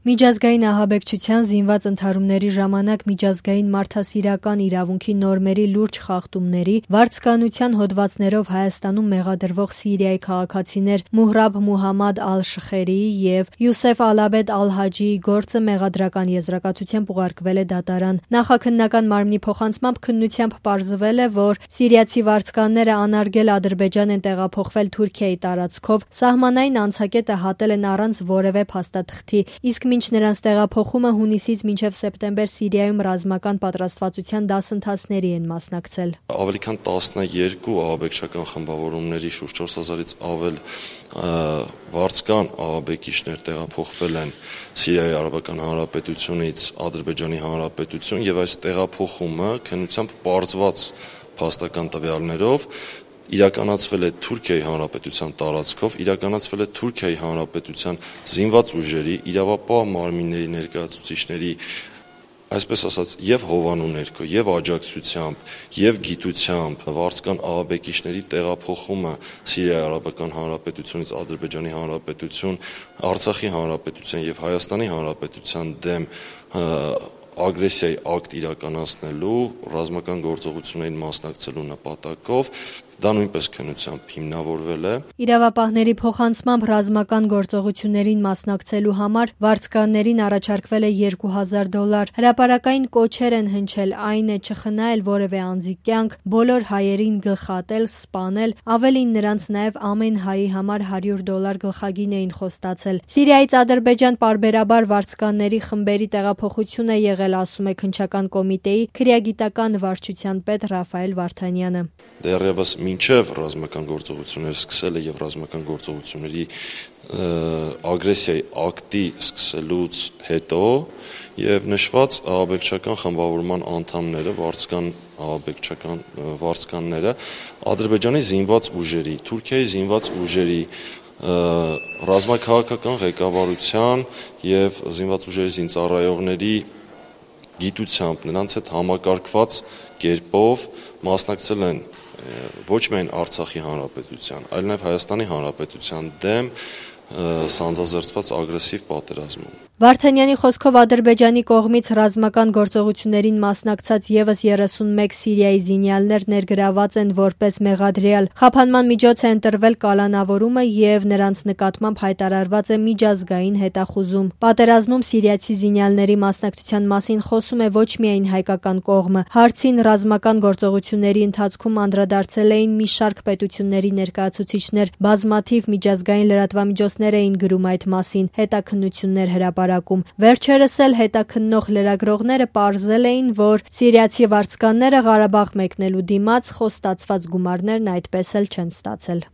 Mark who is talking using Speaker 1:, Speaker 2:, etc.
Speaker 1: Միջազգային ահաբեկչության զինված ընդհարումների ժամանակ միջազգային մարդասիրական իրավունքի նորմերի լուրջ խախտումների, վարձկանության հոդվածներով Հայաստանում մեղադրվող Սիրիայի քաղաքացիներ Մուհրաբ Մուհամմադ Ալ-Շխերիի և Յուսեֆ Ալ-Աբեդ Ալ-Հաջիի գործը մեղադրական եզրակացությամբ ուղարկվել է դատարան։ Նախաքննական մարմնի փոխանցմամբ քննությամբ պարզվել է, որ սիրիացի վարձկանները անարգել Ադրբեջան են տեղափոխվել Թուրքիայի տարածքով, սահմանային անցակետը հատել են առանց որևէ փաստաթղթի, իսկ մինչ նրանց տեղափոխումը հունիսից մինչև սեպտեմբեր Սիրիայում ռազմական պատրաստվածության դասընթացների են մասնակցել։
Speaker 2: Ավելի քան 12 ահաբեկչական խմբավորումների շուրջ 4000-ից ավել վարձկան ահաբեկիչներ տեղափոխվել են Սիրիայի Արաբական Հանրապետությունից Ադրբեջանի Հանրապետություն եւ այս տեղափոխումը քննությամբ պարզված փաստական տվյալներով իրականացվել է Թուրքիայի Հանրապետության տարածքով, իրականացվել է Թուրքիայի Հանրապետության զինված ուժերի, իրավապահ մարմինների ներկայացուցիչների, այսպես ասած, եւ հովանու ներքո, եւ աջակցությամբ, եւ գիտությամբ վարձկան ահաբեկիչների տեղափոխումը Սիրիայի Արաբական Հանրապետությունից Ադրբեջանի Հանրապետություն, Արցախի Հանրապետության եւ Հայաստանի Հանրապետության դեմ ագրեսիայի ակտ իրականացնելու, ռազմական գործողություններին մասնակցելու նպատակով դա նույնպես քննությամբ հիմնավորվել է։
Speaker 1: Իրավապահների փոխանցմամբ ռազմական գործողություններին մասնակցելու համար վարձկաններին առաջարկվել է $2000։ Հրապարակային կոչեր են հնչել, այն է չխնայել որևէ անձի կյանք, բոլոր հայերին գլխատել, սպանել, ավելին նրանց նաև ամեն հայի համար $100 գլխագին էին խոստացել։ Սիրիայից Ադրբեջան պարբերաբար վարձկանների խմբերի տեղափոխություն է եղել, ասում է քննչական կոմիտեի քրեագիտական վարչության պետ Ռաֆայել Վարդանյանը։
Speaker 2: Դեռևս մինչև ռազմական գործողությունները սկսելը եւ ռազմական գործողությունների ագրեսիայի ակտի սկսելուց հետո եւ նշված ահաբեկչական խմբավորման անդամները, վարձկանները Ադրբեջանի զինված ուժերի, Թուրքիայի զինված ուժերի ռազմաքաղաքական ղեկավարության եւ զինված ուժերի զինծառայողների գիտությամբ նրանց հետ համակարգված կերպով մասնակցել են ոչ միայն Արցախի Հանրապետության, այլ նաև Հայաստանի Հանրապետության դեմ սանձազերծված ագրեսիվ պատերազմում։
Speaker 1: Վարդանյանի խոսքով Ադրբեջանի կողմից ռազմական գործողություններին մասնակցած եւս 31 Սիրիայի զինյալներ ներգրաված են որպես մեղադրյալ։ Խափանման միջոց է ընտրվել կալանավորումը եւ նրանց նկատմամբ հայտարարված է միջազգային հետախուզում։ Պատերազմում սիրիացի զինյալների մասնակցության մասին խոսում է ոչ միայն հայկական կողմը։ Հարցին ռազմական գործողությունների ընթացքում անդրադարձել էին մի շարք պետությունների ներկայացուցիչներ, բազմաթիվ միջազգային լրատվամիջոցներ էին գրում այդ մասին, հետաքննություններ հրապարակում։ Վերջերս էլ հետաքննող լրագրողները պարզել էին, որ սիրիացի վարձկանները Ղարաբաղ մեկնելու դիմաց խոստացված գումարներն այդպես էլ չեն ստացել։